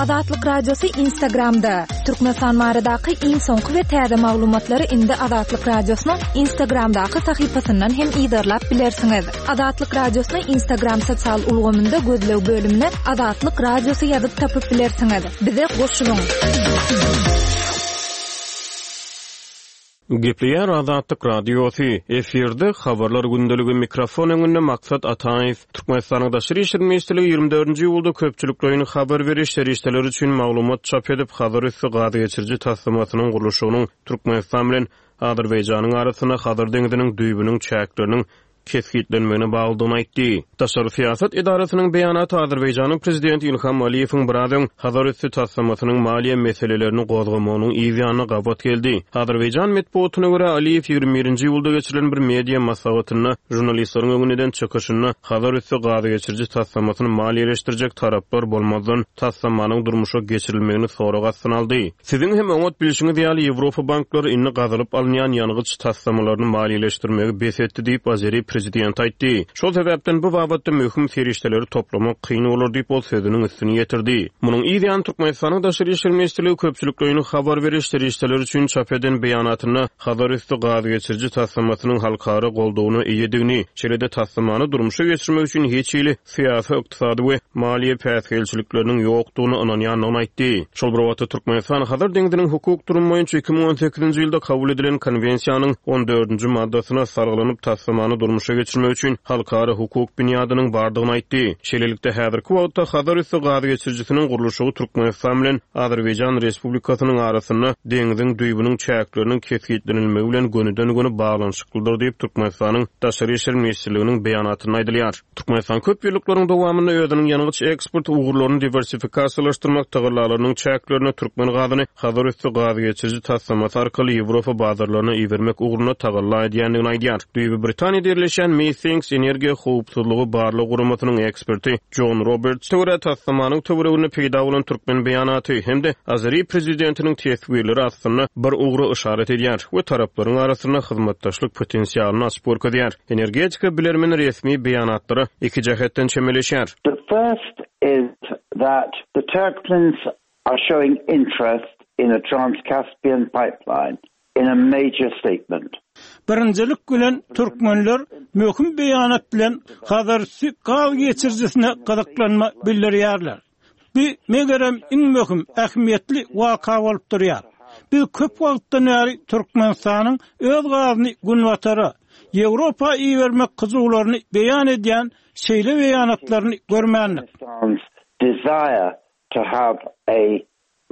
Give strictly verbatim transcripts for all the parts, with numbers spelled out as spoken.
Azatlyk Radiosy Instagramda. Türkmenistan baradaky iň soňky we täze maglumatlary indi Azatlyk Radiosynyň Instagramdaky sahypasyndan hem yzarlap bilersiňiz. Azatlyk Radiosyny Instagram sosial ulgamynda gözleg bölümine Azatlyk Radiosy ýazyp tapyp bilersiňiz. Bize goşulyň. Gepleýär Azatlyk Radiosy. Efirde habarlar gündeligi mikrofon öňünde Maksat Ataýew. Türkmenistanyň Daşary işler ministrligi ýigrimi dördünji iýulda köpçülikleýin habar beriş serişdeleri üçin maglumat çap edip, Hazar üsti gaz geçiriji taslamasynyň gurluşygynyň Türkmenistan bilen Azerbaýjanyň arasynda Hazar deňziniň düýbüniň çäkleriniň kesgitlenmegine baglydygyny aýtdy. Daşary syýasat edarasynyň beýanaty Azerbaýjanyň prezidenti Ilham Aliýewiň biraz öň Hazar üsti taslamasynyň maliýe meselelerini gozgamagynyň yz ýanyna gabat geldi. Azerbaýjan metbugatyna görä, Aliýew ýigrimi birinji iýulda geçirilen bir media maslahatynda žurnalistleriň öňünde eden çykyşynda Hazar üsti gaz geçiriji taslamasyny maliýeleşdirjek taraplar bolmazdan taslamanyň durmuşa geçirilmegini sorag astyna aldy. Siziň hem oňat bilşiňiz ýaly, Ýewropa banklary indi gazylyp alynýan ýangyç taslamalaryny maliýeleşdirmegi bes etdi diýip, azeri prezidenti aýtdy. Şol sebäpden bu babatda möhüm serişdeleri toplamak kyn bolar diýip, ol sözüniň üstüni ýetirdi. Munuň yz ýany Türkmenistanyň Daşary işler ministrligi köpçülikleýin habar beriş serişdeleri üçin çap eden beýanatynda Hazar üsti gaz geçiriji taslamasynyň halkara goldawyna eýedigini, şeýle-de taslamany durmuşa geçirmek üçin hiç hili syýasy, ykdysady we maliýe päsgelçilikleriniň ýokdugyna ynanýandygyny aýtdy. Şol bir wagtda Türkmenistan Hazar deňziniň hukuk durumy boýunça iki müň on sekizinji ýylda kabul edilen Konwensiýanyň on dördünji maddasyna salgylanyp taslamany durmuşa geçirmek üçin halkara hukuk binýadynyň bardygyny aýtdy. Şeýlelikde, häzirki wagtda Hazar üsti gaz geçirijisiniň gurluşygy Türkmenistan bilen Azerbaýjan Respublikasynyň arasynda deňziň düýbüniň çäkleriniň kesgitlenilmegi bilen gönüden-göni baglanyşyklydyr diýip, Türkmenistanyň Daşary işler ministrliginiň beýanatynda aýdylýar. Türkmenistan köp ýyllyklaryň dowamynda özüniň ýangyç eksport ugurlaryny diwersifikasiýalaşdyrmak tagallalarynyň çäklerinde türkmen gazyny Hazar üsti gaz geçiriji taslamasy arkaly Ýewropa bazarlaryna ibermek ugrunda tagalla edýändigini aýdýar. Düýbi Britaniýada ýerleşýän Methinks energiýa howpsuzlygy barlag guramasynyň eksperti Jon Roberts görä taslamanyň töwereginde peýda bolan türkmen beýanaty hem-de azeri prezidentiniň teswirleri aslynda bir ugra yşarat edýär we taraplaryň arasynda hyzmatdaşlyk potensialyny açyp görkezýär. Energetika bilermeni resmi beýanatlara iki jähetden çemeleşýär. The first is that the Turkmens are showing interest in a Trans-Caspian pipeline in a major statement. Birinjilik bilen türkmenler möhüm beýanat bilen Hazarüsti gaz geçirijisine gyzyklanma bildirýärler. Bu megerem iň möhüm ähmiýetli waka bolup durýar. Biz köp wagtdan bäri Türkmenistanyň öz gazyny Günbatara, Ýewropa ibermek hyjuwlaryny beýan edýän şeýle beýanatlaryny görmändik. Turkmenistan's desire to have a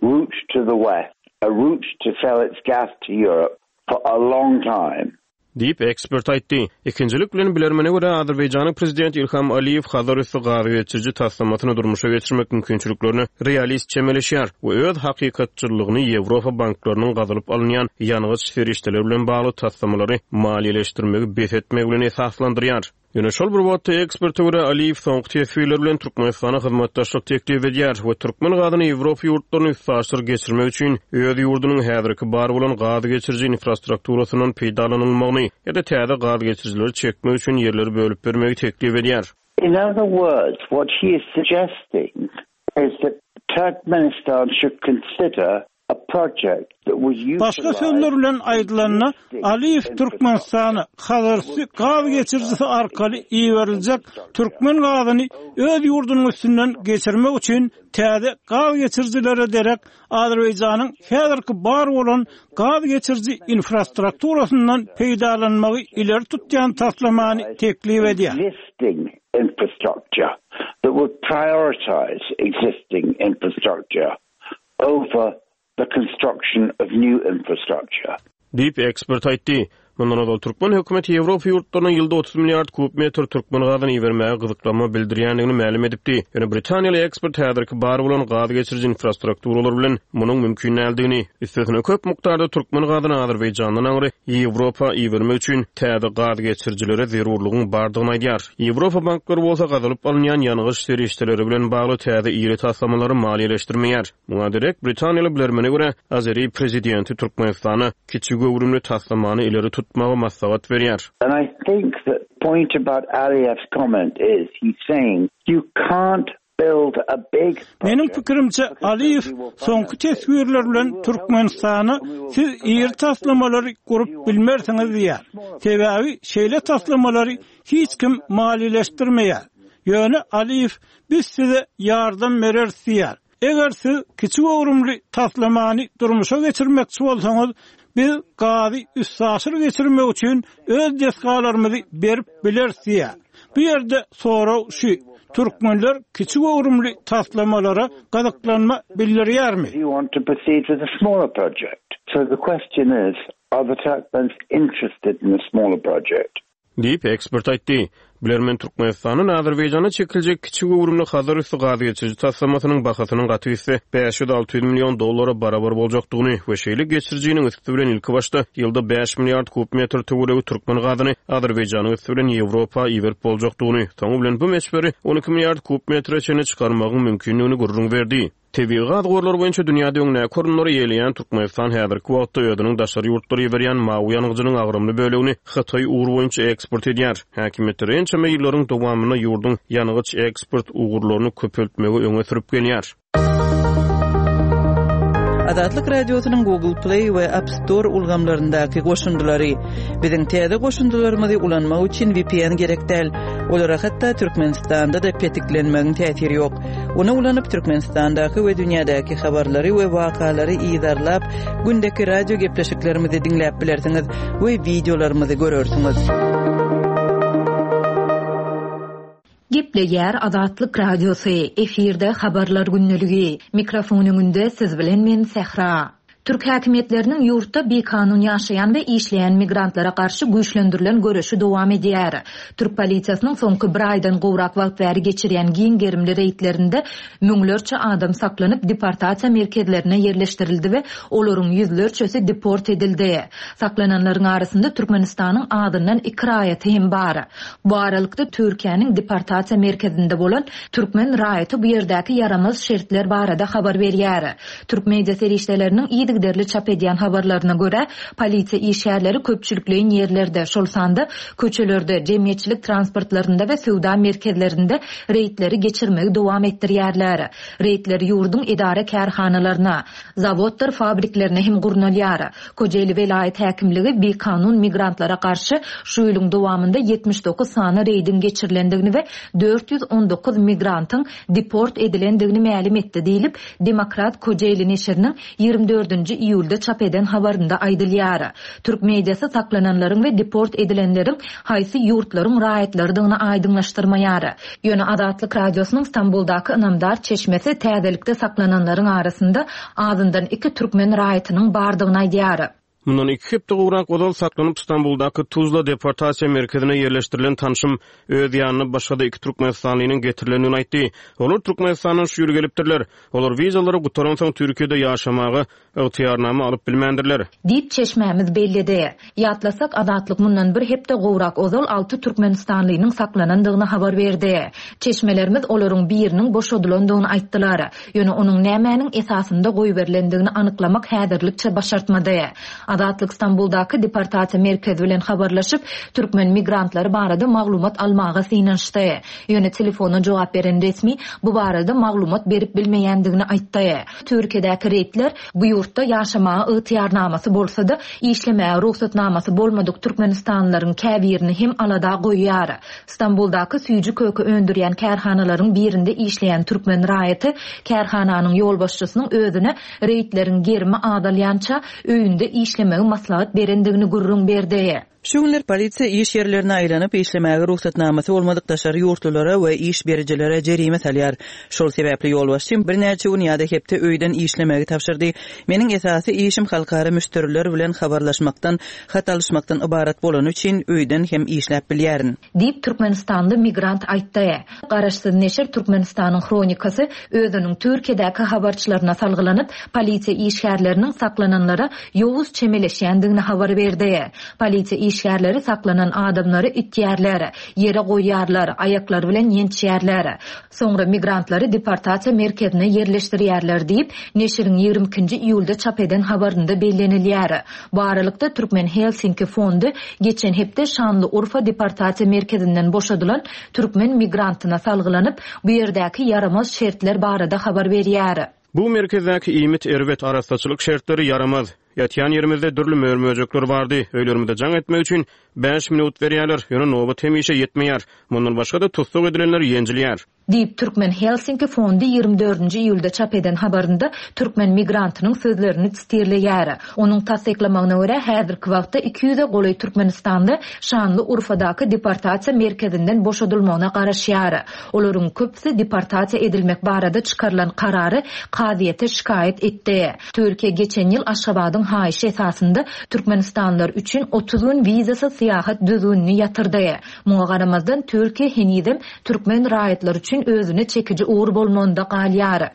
route to the west, a route to sell its gas to Europe for a long time. Diýip, ekspert aýtdy. Ikinjilik bilen, bilermene görä, Azerbaýjanyň prezidenti Ilham Aliýew Hazar üsti gaz geçiriji taslamasyny durmuşa geçirmek mümkinçiliklerine realist çemeleşýär we öz hakykatçyllygyny Ýewropa banklarynyň gazylyp alynýan ýangyç serişdeleri bilen bagly taslamalary maliýeleşdirmegi bes etmegi bilen esaslandyrýar. Ýöne şol bir wagtda eksperte görä, Aliýew soňky teswirleri bilen Türkmenistana hyzmatdaşlyk teklip edýär we türkmen gazyny Ýewropa ýurtlaryna üstaşyr geçirmek üçin öz ýurdunyň häzirki bar bolan gaz geçiriji infrastrukturasyndan peýdalanylmagyny ýa-da täze gaz geçirijileri çekmek üçin ýerleri bölüp bermegi teklip edýär. In other words, what he is suggesting is that Turkmenistan should consider a project that would utilize Başga sözler bilen aýdylanda, Aliýew Türkmenistana Hazarüsti gaz geçirijisi arkaly iberiljek türkmen gazyny öz ýurdunyň üstünden geçirmek üçin täze gaz geçirijilere derek Azerbaýjanyň häzirki bar bolan gaz geçiriji infrastrukturasyndan peýdalanmagy ileri tutýan taslamany teklip edýär. Existing infrastructure that would prioritize existing infrastructure over the construction of new infrastructure. Diýip, ekspert aýtdy. Mundan ozal türkmen hökümeti Ýewropa ýurtlaryna ýylda otuz milliard kub metr türkmen gazyny ibermäge gyzyklanma bildirýändigini mälim edipdi. Ýöne britaniýaly ekspert häzirki bar bolan gaz geçiriji infrastrukturalar bilen munuň mümkin däldigini, üstesine köp mukdarda türkmen gazyny Azerbaýjandan aňry Ýewropa ibermek üçin täze gaz geçirijilere zerurlygyň bardygyny aýdýar. Ýewropa banklary bolsa gazylyp alynýan ýangyç serişdeleri bilen bagly täze iri taslamalary maliýeleşdirmeýär. Muňa derek britaniýaly bilermene görä, azeri prezidenti Türkmenistana kiçi göwrümli taslamany ileri tutmagy maslahat berýär. And I think the point about Aliyev's comment is he's saying you can't build a big Meniň pikirimçe, Aliýew soňky teswirler bilen Türkmenistana siz iri taslamalary gurup bilmersiňiz diýýär. Sebäbi şeýle taslamalary hiç kim maliýeleşdirmeýär. Ýöne Aliýew biz size ýardam bereris diýýär. Eger siz kiçi göwrümli taslamany durmuşa geçirmekçi bolsaňyz, biz gazy üstaşyr geçirmek üçin öz desgalarymyzy berip bileris diýýär. Bu ýerde sorag şu: Türkmenler kiçi göwrümli taslamalara gyzyklanma bildirýärmi? You want to proceed with a smaller project. So the question is, are the Turkmens interested in a smaller project? Diýip, ekspert aýtdy. Bilermen Türkmenistandan Azerbaýjana çekiljek kiçi göwrümli Hazar üsti gaz geçiriji taslamasynyň bahasynyň gaty gitse bäş ýüz alty ýüz million dollara barabar boljakdygyny we şeýle geçirijiniň üsti bilen ilki başda ýylda bäş milliard kub metr töweregi türkmen gazyny Azerbaýjanyň üsti bilen Ýewropa iberip boljakdygyny, soňy bilen bu möçberi on iki milliard kub metre çenli çykarmagyň mümkindigini gürrüň berdi. Tebigy gaz gorlary boýunça dünýäde öňdäki orunlary eýeleýän Türkmenistan häzirki wagtda özüniň daşary ýurtlara iberýän mawy ýangyjynyň agramly bölegini Hytaý ugry boýunça eksport edýär. Häkimiýetler ençeme ýyllaryň dowamynda ýurduň ýangyç eksport ugurlaryny köpeltmegi öňe sürüp gelýär. Azatlyk Radiosynyň Google Play we App Store ulgamlaryndaky goşundylary. Biziň täze goşundylarymyzy ulanmak üçin V P N gerek däl. Olara hatda Türkmenistanda da petiklenmegiň täsiri ýok. Ony ulanyp Türkmenistandaky we dünýädäki habarlary we wakalary yzarlap, gündeki radio gepleşiklerimizi diňläp bilersiňiz we videolarymyzy görersiňiz. Gepleýär Azatlyk Radiosy, efirde habarlar günlügi. Mikrofon öňünde siz bilen men Sähra. Türk häkimiýetleriniň ýurtda bikanun ýaşaýan we işleýän migrantlara garşy güýçlendirilen göreşi dowam edýär. Türk polisiýasynyň soňky bir aýdan gowrak wagt bäri geçirýän giň gerimli reýdlerinde müňlerçe adam saklanyp deportasiýa merkezlerine ýerleşdirildi we olaryň ýüzlerçesi deport edildi. Saklananlaryň arasynda Türkmenistanyň adyndan iki raýaty hem bar. Bu aralykda Türkiýäniň deportasiýa merkezinde bolan türkmen raýaty bu ýerdäki ýaramaz şertler barada habar berýär. Türk media serişdeleriniň yzygiderli çap edýän habarlaryna görä, polisiýa işgärleri köpçülikleýin ýerlerde, şol sanda köçelerde, jemgyýetçilik transportlarynda we söwda merkezlerinde reýdleri geçirmegi dowam etdirýärler. Reýdler ýurduň edara kärhanalaryna, zawodlar fabriklerine hem gurnalýar. Kocaeli welaýat häkimligi bikanun migrantlara garşy şu ýylyň dowamynda ýetmiş dokuz sany reýdiň geçirilendigini we dört ýüz on dokuz migrantyň deport edilendigini mälim etdi diýlip, Demokrat Kocaeli neşiriniň ýigrimi dördünji iýulda çap eden habarynda aýdylýar. Türk mediasy saklananlaryň we deport edilenleriň haýsy ýurtlaryň raýatlarydygyny aýdyňlaşdyrmaýar. Ýöne Azatlyk Radiosynyň Stambuldaky ynamdar çeşmesi täzelikde saklananlaryň arasynda azyndan iki türkmen raýatynyň bardygyny aýdýar. Mundan iki hepde gowrak ozal saklanyp Stambuldaky Tuzla deportasiýa merkezine ýerleşdirilen tanşym öz ýanyna başga-da iki Türkmenistanlynyň getirilendigini aýtdy. Olar Türkmenistandan şu ýyl gelipdirler. Olar wizalary gutaransoň Türkiýede ýaşamaga ygtyýarnama alyp bilmändirler. Diýip çeşmämiz belledi. Ýatlasak Azatlyk mundan bir hepde gowrak ozal alty Türkmenistanlynyň saklanandygyny habar berdi. Çeşmelerimiz olaryň biriniň boşadylandygyny aýtdylar. Ýöne onuň nämäniň esasynda goýberilendigini anyklamak häzirlikçe başartmady. Azatlyk Stambuldaky deportasiýa merkezi bilen habarlaşyp, türkmen migrantlary barada maglumat almaga synanyşdy. Ýöne telefona jogap beren resmi bu barada maglumat berip bilmeýändigini aýtdy. Türkiýedäki reýdler bu ýurtda ýaşamaga ygtyýarnamasy bolsa-da, işlemäge rugsatnamasy bolmadyk Türkmenistanlylaryň käbirini hem alada goýýar. Stambuldaky süýji köke öndürýän kärhanalaryň birinde işleýän türkmen raýaty kärhananyň ýolbaşçysynyň özüne reýdleriň gerimi azalýança öýünde işlemegi maslahat berendigini gürrüň berdi. Şu günler polisiýa iş ýerlerine aýlanyp işlemäge rugsatnamasy bolmadyk daşary ýurtlulara we iş berijilere jerime salýar. Şol sebäpli ýolbaşçym birnäçe gün ýa-da hepde öýden işlemegi tabşyrdy. Meniň esasy işim halkara müşderiler bilen habarlaşmakdan, hat alyşmakdan ybarat bolany üçin öýden hem işläp bilýärin. Diýip Türkmenistanly migrant aýtdy. Garaşsyz neşir Türkmenistanyň hronikasy özüniň Türkiýedäki habarçylaryna salgylanyp, polisiýa işgärleriniň saklananlara ýowuz çemeleşýändigini habar berdi. Polisiýa işgärleri saklanan adamlary itýärler, ýere goýýarlar, aýaklary bilen ýençýärler. Soňra migrantlary deportasiýa merkezine ýerleşdirýärler diýip, neşiriň ýigrimi ikinji iýulda çap eden habarynda bellenilýär. Bu aralykda Türkmen Helsinki fondy geçen hepde Şanlyurfa deportasiýa merkezinden boşadylan türkmen migrantyna salgylanyp, bu ýerdäki ýaramaz şertler barada habar berýär. Bu merkezdäki iýmit erbet, arassaçylyk şertleri ýaramaz. Ýatýan ýerimizde dürli mör-möjekler bardy. Öýlerimize jaň etmek üçin bäş minut berýärler, ýöne nobat hemişe ýetmeýär. Mundan başga-da tussag edilenler ýenjilýär. Diýip, Türkmen Helsinki fondy ýigrimi dördünji iýulda çap eden habarynda türkmen migrantynyň sözlerini sitirleýär. Onuň tassyklamagyna görä, häzirki wagtda iki ýüze golaý Türkmenistanly Şanlyurfadaky deportasiýa merkezinden boşadylmagyna garaşýar. Olaryň köpüsi deportasiýa edilmek barada çykarylan karary kazyýete şikaýat etdi. Türkiýe geçen ýyl Aşgabadyň haýyşy esasynda Türkmenistanlylar üçin otuz gün wizasyz syýahat düzgünini ýatyrdy. Muňa garamazdan Türkiýe henizem türkmen raýatlary üçin özüne çekiji ugur bolmagynda galýar.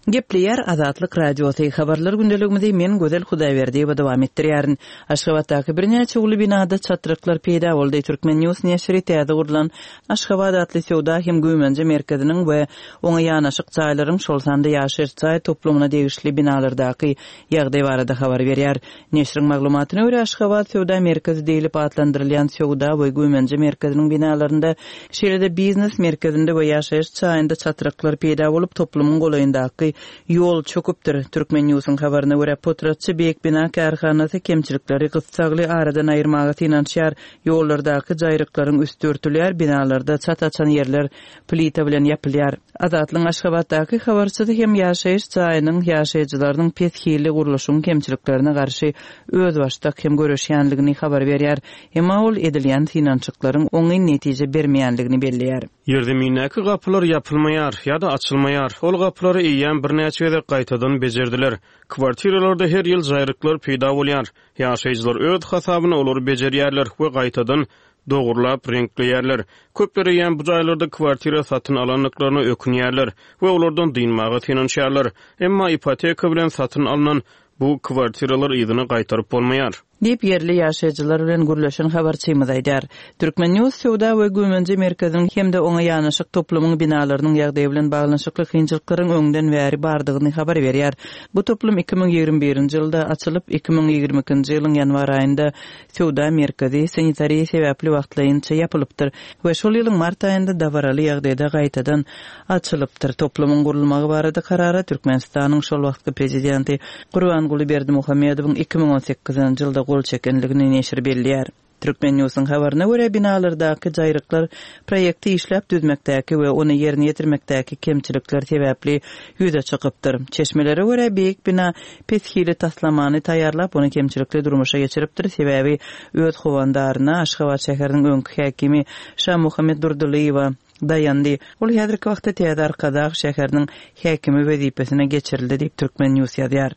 Gepleýär Azatlyk Radiosy habarlar gündeligimizi men Gözel Hudaýberdiýewa dowam etdirýärin. Aşgabatdaky birnäçe uly binada çatryklar peýda boldy. Türkmen News neşiri täze gurlan Aşgabat atly söwda hem güýmenje merkeziniň we oňa ýanaşyk jaýlaryň, şol sanda ýaşaýyş jaý toplumyna degişli binalardaky ýagdaý barada habar berýär. Neşiriň maglumatyna görä, Aşgabat söwda merkezi diýlip atlandyrylýan söwda we güýmenje merkeziniň binalarynda, şeýle-de biznes merkezinde we ýaşaýyş jaýynda çatryklar peýda bolup, toplumyň golaýyndaky ýol çöküpdir. Türkmen News'un habaryna görä, potratçy Beýik bina kärhanasy kemçilikleri gyssagly aradan aýyrmaga synanyşýar. Ýollardaky jaýryklaryň üsti örtülýär, binalarda çat açan ýerler plita bilen ýapylýar. Azatlygyň Aşgabatdaky habarçysy hem ýaşaýyş jaýynyň ýaşaýjylarynyň pes hilli gurluşyň kemçiliklerine garşy özbaşdak hem görüşýänligini habar berýär. Emma ol edilýän synanyşyklaryň oňyn netije bermeýänligini belleýär. Ýerzemindäki gapylar ýapylmaýar ýa-da açylmaýar. Ol gapylary eýýäm birnäçe gezek gaýtadan bejerdiler. Kwartiralarda her ýyl jaýryklar peýda bolýar. Ýaşaýjylar öz hasabyna olary bejerýärler we gaýtadan dogurlap reňkleýärler. Köpler eýýäm bu jaýlarda kwartira satyn alandyklaryna ökünýärler we olardan dynmaga synanyşýarlar. Emma ipoteka bilen satyn alynan bu kwartiralar yzyna gaýtaryp bolmaýar. Diýip ýerli ýaşaýjylar bilen gürleşen habarçymyz aýdar. Türkmen News söwda we güýmenje merkeziniň hem-de oňa ýanaşyk toplumyň binalarynyň ýagdaýy bilen baglanyşykly kynçylyklaryň öňden bäri bardygyny habar berýär. Bu toplum iki müň ýigrimi birinji ýylda açylyp, iki müň ýigrimi ikinji ýylyň ýanwar aýynda söwda merkezi sanitariýa sebäpli wagtlaýynça ýapylypdyr we şol ýylyň mart aýynda dabaraly ýagdaýda gaýtadan açylypdyr. Toplumyň gurulmagy barada karara Türkmenistanyň şol wagtky prezidenti Gurbanguly Berdimuhamedowyň iki müň on sekizinji ýylda gol çekenligini neşir belleýär. Türkmen News'un habaryna görä, binalardaky jaýryklar proýekti işläp düzmekdäki we ony ýerine ýetirmekdäki kemçilikler sebäpli ýüze çykypdyr. Çeşmelere görä, beýik bina pes hili taslamany taýýarlap, ony kemçilikli durmuşa geçiripdir. Sebäbi öz howandaryna Aşgabat şäheriniň öňki häkimi Şamuhammet Durdylyýewa daýandy. Ol häzirki wagtda Täze Arkadag şäheriniň häkimi wezipesine geçirildi diýip Türkmen News ýazýar.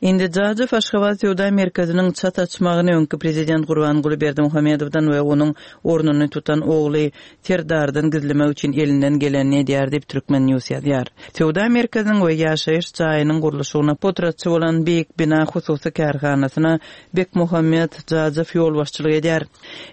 Indi Jajow Aşgabat söwda merkeziniň çat açmagyny öňki prezident Gurbanguly Berdimuhamedowdan we onuň ornuny tutan ogly Serdardan gizlemek üçin elinden gelenini edýär diýip Türkmen News ýazýar. Söwda merkeziniň we ýaşaýyş jaýynyň gurluşygyna potratçy bolan Beýik bina hususy kärhanasyna Bekmuhammet Jajow ýolbaşçylyk edýär.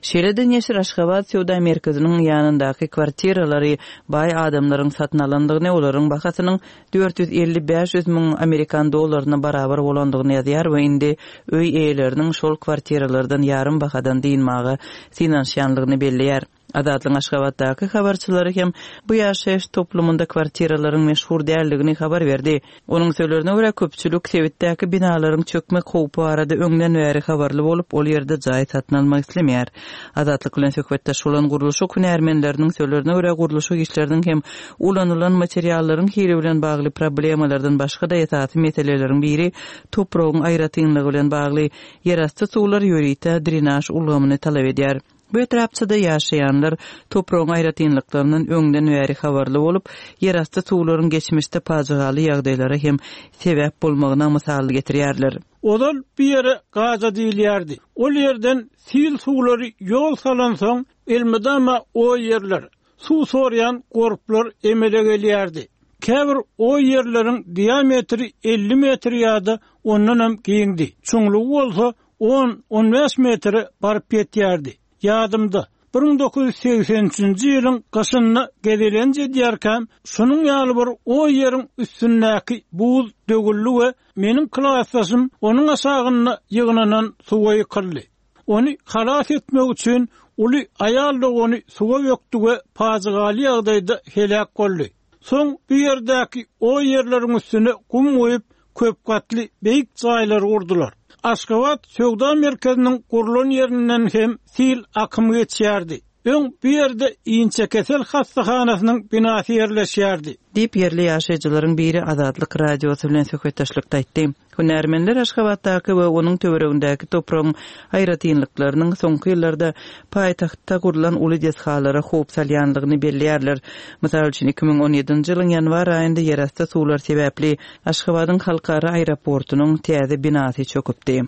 Şeýle-de neşir Aşgabat söwda merkeziniň ýanyndaky kwartiralary baý adamlaryň satyn alandygyny, olaryň bahasynyň dört ýüz elli bäş ýüz müň amerikan dollaryna barabar bolandygyny ýazýar we indi öý eýeleriniň şol kwartiralardan ýarym bahadan dynmaga synanyşýanlygyny belleýär. Azatlygyň Aşgabatdaky habarçylary hem bu ýaşaýyş toplumynda kwartiralaryň meşhur däldigini habar berdi. Onuň sözlerine görä, köpçülik sebitdäki binalaryň çökmek howpy barada öňden bäri habarly bolup, ol ýerde jaý satyn almak islemeýär. Azatlyk bilen söhbetdeş bolan gurluşyk hünärmenleriniň sözlerine görä, gurluşyk işleriniň hem ulanylan materiallaryň hili bilen bagly problemalardan başga-da esasy meseleleriň biri topragyň aýratynlygy bilen bagly ýerasty suwlar ýörite drenaž ulgamyny talap edýär. Bu etrapçada ýaşaýanlar topragyň aýratynlyklaryndan öňden bäri habarly bolup, ýerasty suwlaryň geçmişde pajygaly ýagdaýlara hem sebäp bolmagyna mysal getirýärler. Ozal bir ýere gaza diýilýärdi. Ol ýerden sil suwlary ýol salansoň, elmydama o ýerler, suw sorýan gorplar emele gelýärdi. Käbir o ýerleriň diametri elli metr ýa-da ondan hem giňdi. Çuňlugy bolsa on, on bäş metre baryp ýetýärdi. Ýadymda, bir müň dokuz ýüz segsen üçünji ýylyň gyşynda gezelenç edýärkäm, şunuň ýaly bir oý ýeriň üstündäki buz döwüldi we meniň klasdaşym onuň aşagynda ýygnanan suwa ýykyldy. Ony halas etmek üçin uly aýal dogany suwa bökdi we pajygaly ýagdaýda heläk boldy. Soň bu ýerdäki oý ýerleriň üstüne gum guýup, köp gatly beýik jaýlar gurdular. Aşgabat söwda merkeziniň gurlan ýerinden hem sil akymy geçýärdi. Öň bu ýerde inçekesel hassahanasynyň binasy ýerleşýärdi. Diýip, ýerli ýaşaýjylaryň biri Azatlyk Radiosy bilen söhbetdeşlikde aýtdy. Hünärmenler Aşgabatdaky we onuň töweregindäki topragyň aýratynlyklarynyň soňky ýyllarda paýtagtda gurlan uly desgalara howp salýanlygyny belleýärler. Mysal üçin, iki müň on ýedinji ýylyň ýanwar aýynda ýerasty suwlar sebäpli Aşgabadyň halkara aeroportunyň täze binasy çöküpdi.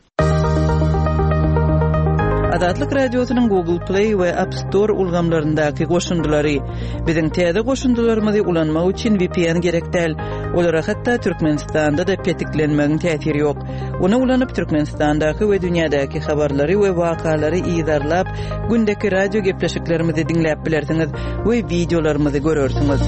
Azatlyk Radiosynyň Google Play we App Store ulgamlaryndaky goşundylary. Biziň täze goşundylarymyzy ulanmak üçin V P N gerek däl. Olara hatda Türkmenistanda-da petiklenmegiň täsiri ýok. Ony ulanyp Türkmenistandaky we dünýädäki habarlary we wakalary yzarlap, gündeki radio gepleşiklerimizi diňläp bilersiňiz we wideolarymyzy görersiňiz.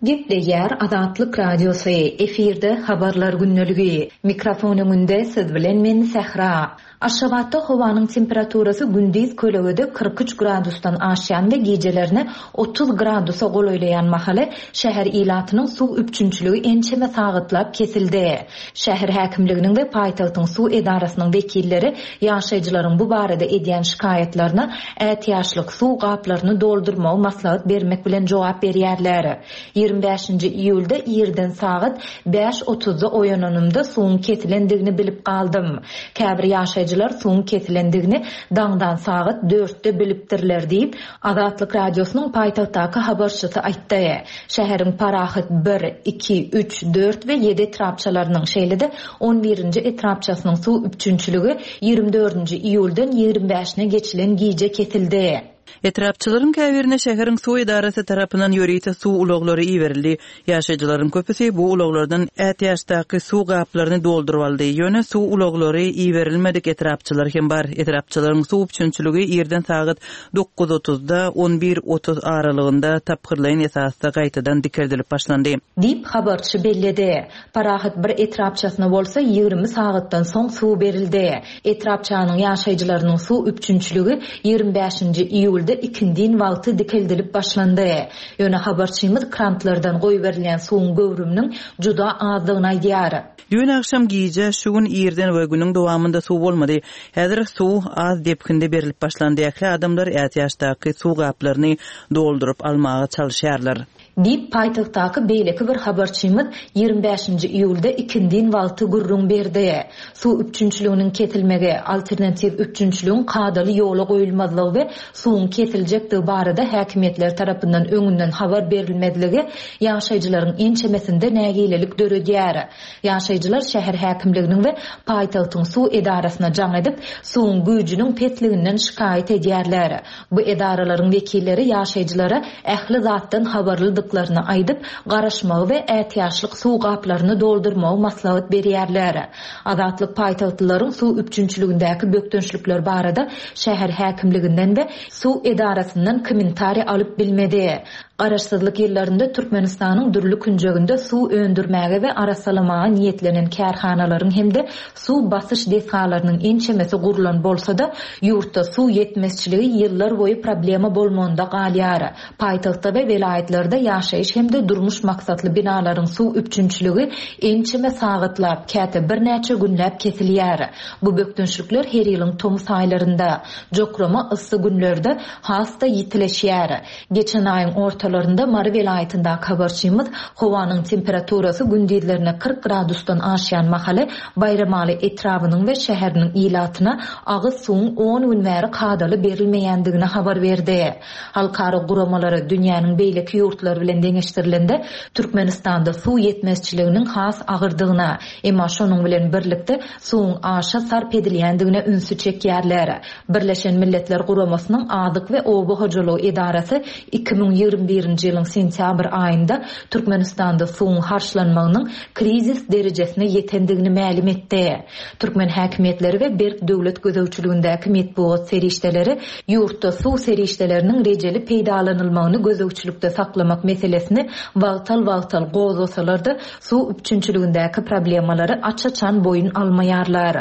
Gepleýär Azatlyk Radiosy, efirde habarlar gündeligi. Mikrofon öňünde siz bilen men Sähra. Aşgabatda howanyň temperaturasy gündiz kölegede kyrk üç gradusdan aşýan we gijelerini otuz gradusa golaýlaýan mahaly şäher ilatynyň suw üpjünçiligi ençeme sagatlap kesildi. Şäher häkimliginiň we paýtagtyň suw edarasynyň wekilleri ýaşaýjylaryň bu barada edýän şikaýatlaryna ätiýaçlyk suw gaplaryny doldurmagy maslahat bermek bilen jogap berýärler. Ýigrimi bäşinji iýulda irden sagat bäş otuzda oýananymda suwuň kesilendigini bilip galdym. Käbir ýaşaýjylar suwuň kesilendigini daňdan sagat dörtde bilipdirler diýip, Azatlyk Radiosynyň paýtagtdaky habarçysy aýtdy. Şäheriň Parahat bir, iki, üç, dört we ýedi etrapçalarynyň, şeýle-de on birinji etrapçasynyň suw üpjünçiligi ýigrimi dördünji iýuldan ýigrimi bäşine geçilen gije kesildi. Etrapçylaryň käbirine şäheriň suw edarasy tarapyndan ýörite suw ulaglary iberildi. Ýaşaýjylaryň köpüsi bu ulaglardan ätiýaçdaky suw gaplaryny dolduryp aldy. Ýöne suw ulaglary iberilmedik etrapçylar hem bar. Etrapçylaryň suw üpjünçiligi irden sagat dokuz otuzda on bir otuz aralygynda tapgyrlaýyn esasda gaýtadan dikeldilip başlandy. Diýip habarçy belledi. Parahat bir etrapçasyna bolsa ýigrimi sagatdan soň suw berildi. Etrapçanyň ýaşaýjylarynyň suw üpjünçiligi ýigrimi bäşinji iýulda ikindin wagty dikeldilip başlandy. Ýöne habarçymyz krantlardan goýberilýän suwuň göwrüminiň juda azdygyny aýdýar. Düýn akşam gije şu gün irden we günüň dowamynda suw bolmady. Häzir suw az depginde berilip başlandy. Ähli adamlar ätiýaçdaky suw gaplaryny dolduryp almaga çalyşýarlar. Diýip paýtagtdaky beýleki bir habarçymyz ýigrimi bäşinji iýulda ikindin wagty gürrüň berdi. Suw üpjünçiliginiň kesilmegi, alternatiw üpjünçiligiň kadaly ýola goýulmazlygy we suwuň kesiljekdigi barada häkimiýetler tarapyndan öňünden habar berilmezligi ýaşaýjylaryň ençemesinde nägilelik döredýär. Ýaşaýjylar şäher häkimliginiň we paýtagtyň suw edarasyna jaň edip, suwuň güýjüniň pesliginden şikaýat edýärler. Bu edaralaryň wekilleri ýaşaýjylara ähli zatdan habarlydyklaryny aýdyp, garaşmagy we ätiýaçlyk suw gaplaryny doldurmagy maslahat berýärler. Azatlyk paýtagtlylaryň suw üpjünçiligindäki bökdençlikler barada şäher häkimliginden we suw edarasyndan kommentariý alyp bilmedi. Garaşsyzlyk ýyllarynda Türkmenistanyň dürli künjeginde suw öndürmäge we arassalamaga niýetlenen kärhanalaryň hem-de suw basyş desgalarynyň ençemesi gurlan bolsa-da, ýurtda suw ýetmezçiligi ýyllar boýy problema bolmagynda galýar. Paýtagtda we welaýatlarda ýaşaýyş hem-de durmuş maksatly binalaryň suw üpjünçiligi ençeme sagatlap, käte birnäçe günläp kesilýär. Bu bökdençlikler her ýylyň tomus aýlarynda, jokrama yssy günlerde has-da ýitileşýär. Geçen aýyň ortalarynda Mary welaýatyndaky habarçymyz howanyň temperaturasy gündizlerine kyrk gradusdan aşýan mahaly Baýramaly etrabynyň we şäheriniň ilatyna agyz suwuň on gün bäri kadaly berilmeýändigini habar berdi. Halkara guramalara dünýäniň beýleki ýurtlary bilen deňeşdirilende Türkmenistanda suw ýetmezçiliginiň has agyrdygyna, emma şonuň bilen birlikde suwuň aşa sarp edilýändigine ünsi çekýärler. Birleşen Milletler Guramasynyň Azyk we Oba hojalygy edarasy iki müň ýigrimi birinji ýylyň sentýabr aýynda Türkmenistanda suwuň harçlanmagynyň krizis derejesine ýetendigini mälim etdi. Türkmen häkimiýetleri we berk döwlet gözegçiligindäki metbugat serişdeleri ýurtda suw serişdeleriniň rejeli peýdalanylmagyny gözegçilikde saklamak meselesini wagtal-wagtal gozgasalar-da suw üpjünçiligindäki problemalary aç-açan boýun almaýarlar.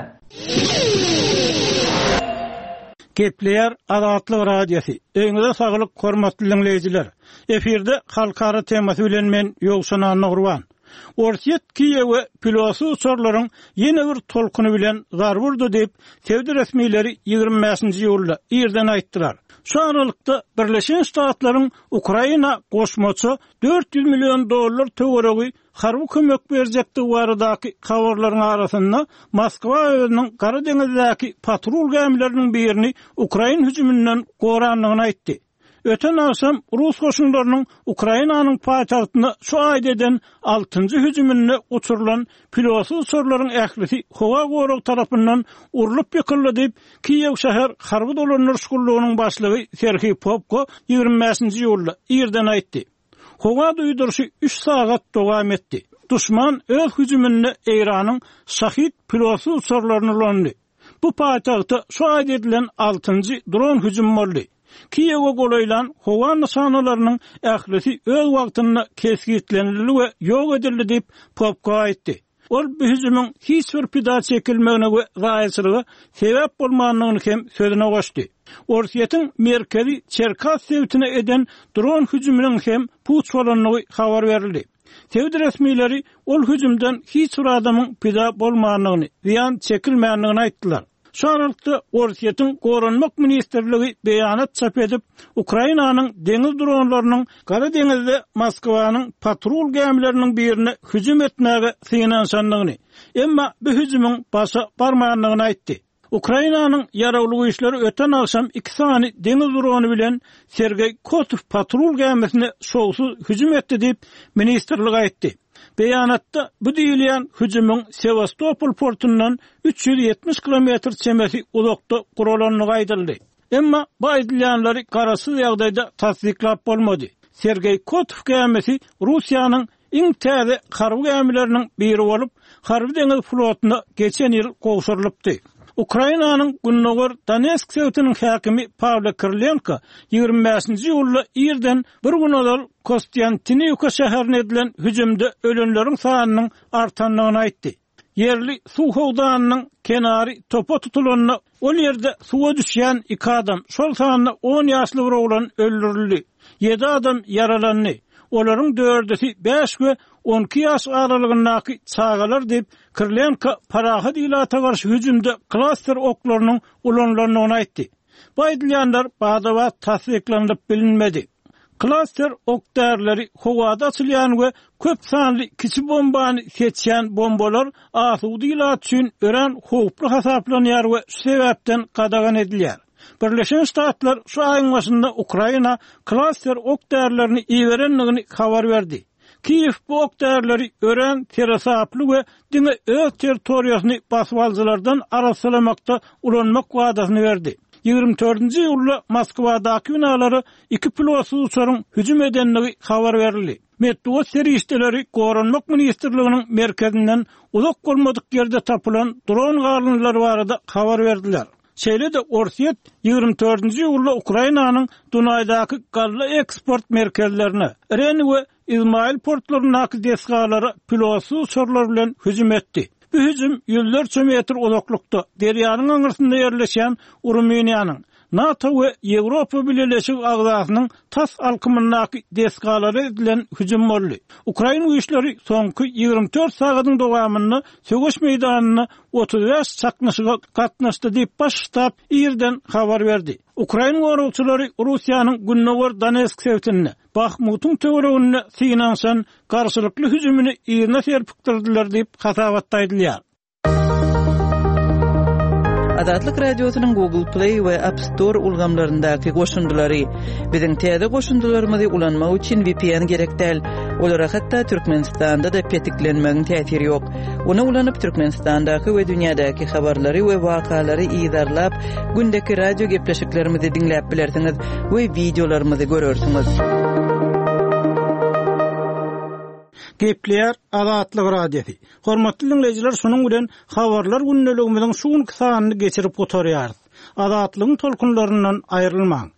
Gepleýär Azatlyk Radiosy. Öýüňize saglyk, hormatly diňleýjiler. Efirde halkara temasy bilen men Ýowşan Annagurban. Orsýet Kiýewe pilotsyz uçarlaryň ýene bir tolkuny bilen zarba urdy diýip, sebit resmileri ýigrimi bäşinji iýulda irden aýtdylar. Şu aralykda Birleşen Ştatlaryň Ukraina goşmaça dört ýüz million dollar töweregi harby kömek berjekdigi baradaky habarlaryň arasynda Moskwa özüniň Gara deňizdäki patrul gämileriniň birini ukrain hüjüminden gorandygyny aýtdy. Öten agşam rus goşunlarynyň Ukrainanyň paýtagtyna şu aýda eden altynjy hüjüminde uçurylan pilotsyz uçarlaryň ählisi howa gorag tarapyndan urlup ýykyldy diýip, Kiýew şäher harby dolandyryş gullugynyň başlygy Serhiý Popko ýigrimi bäşinji iýulda irden aýtdy. Howa duýduryşy üç sagat dowam etdi. Duşman öz hüjüminde Eýranyň Şahid pilotsyz uçarlaryny ulandy. Bu paýtagta şu aýda edilen altynjy dron hüjümi boldy. Kiýewe golaýlan howa nyşanalarynyň ählisi öz wagtynda kesgitlenildi we ýok edildi diýip, Popko aýtdy. Ol bu hüjümiň hiç bir pida çekilmegine we zaýaçylyga sebäp bolmandygyny hem sözüne goşdy. Orsýetiň merkezi Çerkas sebitine eden dron hüjüminiň hem puç bolandygy habar berildi. Sebit resmileri ol hüjümden hiç bir adamyň pida bolmandygyny, zyýan çekilmändigini aýtdylar. Şu aralykda Orsýetiň Goranmak ministrligi beýanat çap edip, Ukrainanyň deňiz dronlarynyň Gara deňizde Moskwanyň patrul gämileriniň birine hüjüm etmäge synanyşandygyny, emma bu hüjümiň başa barmandygyny aýtdy. Ukrainanyň ýaragly güýçleri öten agşam iki sany deňiz drony bilen Sergeý Kotow patrul gämisine şowsuz hüjüm etdi diýip, ministrlik aýtdy. Beýanatda bu diýilýän hüjümiň Sewastopol portundan üç ýüz ýetmiş kilometr çemesi uzakda guralandygy aýdyldy. Emma bu aýdylýanlary garaşsyz ýagdaýda tassyklap bolmady. Sergeý Kotow gämisi Russiýanyň iň täze harby gämileriniň biri bolup, harby deňiz flotuna geçen ýyl gowşurylypdy. Ukrainanyň Gündogar Donetsk sebitiniň häkimi Pawlo Kirilenko ýigrimi bäşinji iýulda irden bir gün ozal Kostýantiniwka şäherine edilen hüjümde ölenleriň sanynyň artandygyny aýtdy. Ýerli suw howdanynyň kenary topa tutulanda ol ýerde suwa düşýän iki adam, şol sanda on ýaşly bir oglan öldürildi. Ýedi adam ýaralandy. Olaryň dördüsi bäş we on iki ýaş aralygyndaky çagalar diýip, Kirilenko parahat ilata garşy hüjümde klaster oklarynyň ulanylandygyny aýtdy. Bu aýdylýanlar bada-bat tassyklanylyp bilinmedi. Klaster ok därileri howada açylýan we köp sanly kiçi bombany seçýän bombalar asuda ilat üçin örän howply hasaplanýar we şu sebäpden gadagan edilýär. Birleşen Ştatlar şu aýyň başynda Ukraina klaster ok därilerini iberendigini habar berdi. Kiýew bu ok därileri örän seresaply we diňe öz territoriýasyny basyp alyjylardan arassalamakda ulanmak wadasyny berdi. Ýigrimi dördünji iýulda Moskwadaky binalara iki pilotsyz uçaryň hüjüm edendigi habar berildi. Metbugat serişdeleri Goranmak ministrliginiň merkezinden uzak bolmadyk ýerde tapylan dron galyndylary barada habar berdiler. Şeýle-de Orsýet ýigrimi dördünji iýulda Ukrainanyň Dunaýdaky galla eksport merkezlerine, Reni we Izmail portlaryndaky desgalara pilotsyz uçarlar bilen hüjüm etdi. Bu hüjüm ýüzlerçe metr uzaklykda derýanyň aňyrsynda ýerleşýän Rumyniýanyň NATO we Ýewropa Bileleşigi agzasynyň tas alkymyndaky desgalara edilen hüjüm boldy. Ukrain güýçleri soňky ýigrimi dört sagatyň dowamynda söweş meýdanynda otuz bäş çaknyşyga gatnaşdy diýip baş ştab irden habar berdi. Ukrain goragçylary Russiýanyň Gündogar Donetsk sebitinde Bahmutyň töwereginde synanyşan garşylykly hüjümini yzyna serpikdirdiler diýip hasabatda aýdylýar. Azatlyk Radiosynyň Google Play we App Store ulgamlaryndaky goşundylary. Biziň täze goşundylarymyzy ulanmak üçin V P N gerek däl. Olara hatda Türkmenistanda-da petiklenmegiň täsiri ýok. Ony ulanyp Türkmenistandaky we dünýädäki habarlary we wakalary yzarlap, gündeki radio gepleşiklerimizi diňläp bilersiňiz we wideolarymyzy görersiňiz. Gepleýär Azatlyk Radiosy. Hormatly dinleýjiler, şunuň bilen habarlar gündeligimiziň şu günki sanyny geçirip gutarýarys. Azatlygyň tolkunlaryndan aýrylmaň.